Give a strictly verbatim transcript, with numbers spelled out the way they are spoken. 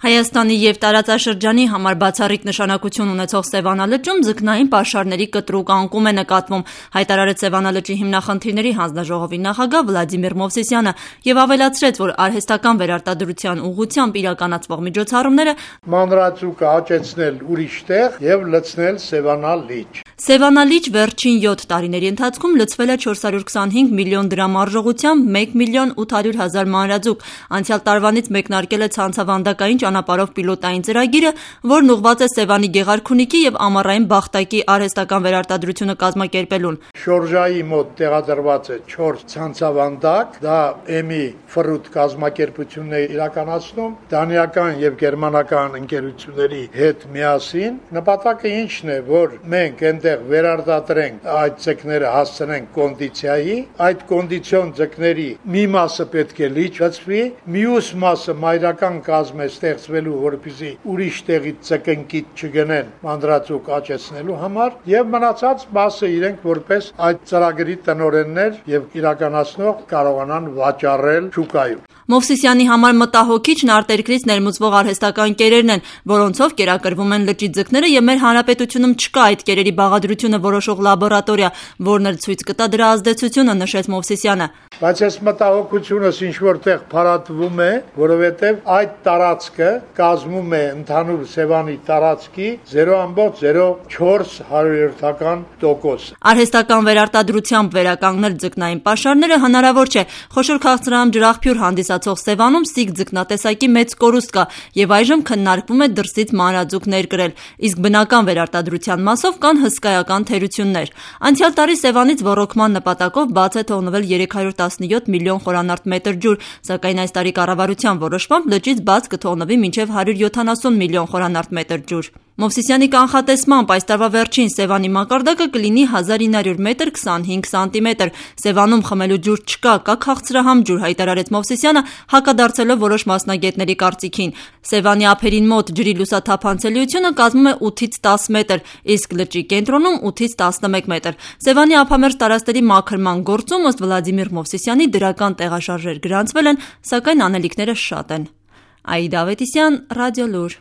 Հայաստանի և տարածաշրջանի համար բացառիկ նշանակություն ունեցող Սևանա լճում ձկնային պաշարների կտրուկ անկում է նկատվում, հայտարարեց Սևանա լճի հիմնախնդիրների հանձնաժողովի նախագահ Վլադիմիր Մովսիսյանը և ավելացրեց, որ արհեստական վերարտադրության ուղղությամբ իրականացվող միջոցառումները մանրածուկը աճեցնել ուրիշ տեղ և լցնել Սևանա լիճ։ Սևանա լիճ վերջին յոթ տարիների ընթացքում լցվել է չորս հարյուր քսանհինգ միլիոն դրամ արժողությամբ մեկ միլիոն ութ հարյուր հազար մանրաձուկ։ Անցյալ տարվանից մեկնարկել է ցանցավանդակային ճանապարհով պիլոտային ծրագիրը, որն ուղղված է Սևանի Գեղարքունիքի և Ամառային Բախտակի արհեստական վերարտադրությունը կազմակերպելուն։ Շորժայի մոտ տեղադրված է չորս ցանցավանդակ, դա էմի ֆռութ կազմակերպությունն է իրականացնում, դանիական և գերմանական ընկերությունների հետ միասին։ Նպատակը ինչն է, որ մենք այնտեղ վերարտադրենք այդ ձկները, հասցնենք կոնդիցիայի, այդ կոնդիցիոն ձկների մի մասը պետք է լիճ լցվի, մյուս մասը մայրական կազմ է ստեղծվելու, որպեսզի ուրիշ տեղից ձկնկիթ չգնեն մանրածուկ աճեցնելու համար, եւ մնացած մասը իրենք որպես այդ ծրագրի տնօրեններ եւ իրականացնող կարողանան վաճառել շուկայում։ Մովսիսյանի համար մտահոգիչն արտերկրից ներմուծվող արհեստական կերերն են, որոնցով կերակրվում են լճի ձկները, եւ մեր հանրապետությունում չկա այդ կերերի բաղադրությունը որոշող լաբորատորիա, որն էլ ցույց կտա դրա ազդեցությունը, նշեց Մովսիսյանը։ Բայց այս մտահոգությունս ինչ որտեղ փարատվում է, որովհետև այդ տարածքը կազմում է ընդհանուր Սևանի տարածքի զերո կόμμα զերո չորս հարյուրյոթական տոկոս։ Արհեստական վերարտադրությամբ վերականգնել ձկնային պաշարները հնարավոր չէ։ Խոշոր քաղցրահամ ջրաղբյուր հանդիսացող Սևանում սիկ ձկնատեսակի մեծ կորուստ կա եւ այժմ քննարկվում է դրսից մանրաձուկ ներկրել, իսկ բնական վերարտադրության մասով կան հսկայական թերություններ։ Անցյալ տարի Սևանից ոռոգման նպատակով բաց է թողնվել երեք հարյուր տասնյոթ միլիոն խորանարդ մետր ջուր, սակայն այս տարի կառավարության որոշմամբ լճից բաց կթողնվի մինչև հարյուր յոթանասուն միլիոն խորանարդ մետր ջուր։ Մովսիսյանի կանխատեսմամբ այս տարվա վերջին Սևանի մակարդակը կլինի հազար ինը հարյուր մետր քսանհինգ սանտիմետր։ Սևանում խմելու ջուր չկա, կա քաղցրահամ ջուր, հայտարարեց Մովսիսյանը, հակադարձելով որոշ մասնագետների կարծիքին։ Սևանի ափերին մոտ ջրի լուսաթափանցելիությունը կազմում է ութից տաս մետր, իսկ լճի կենտրոնում ութից տասնմեկ մետր։ Սևանի ափամերձ տարածքների մաքրման գործում ըստ Վլադիմիր Մովսիսյանի դրական տեղաշարժեր գրանցվել են, սակայն անելիքները շատ են։ Աիդա Ավետիսյան, Ռադիոլուր։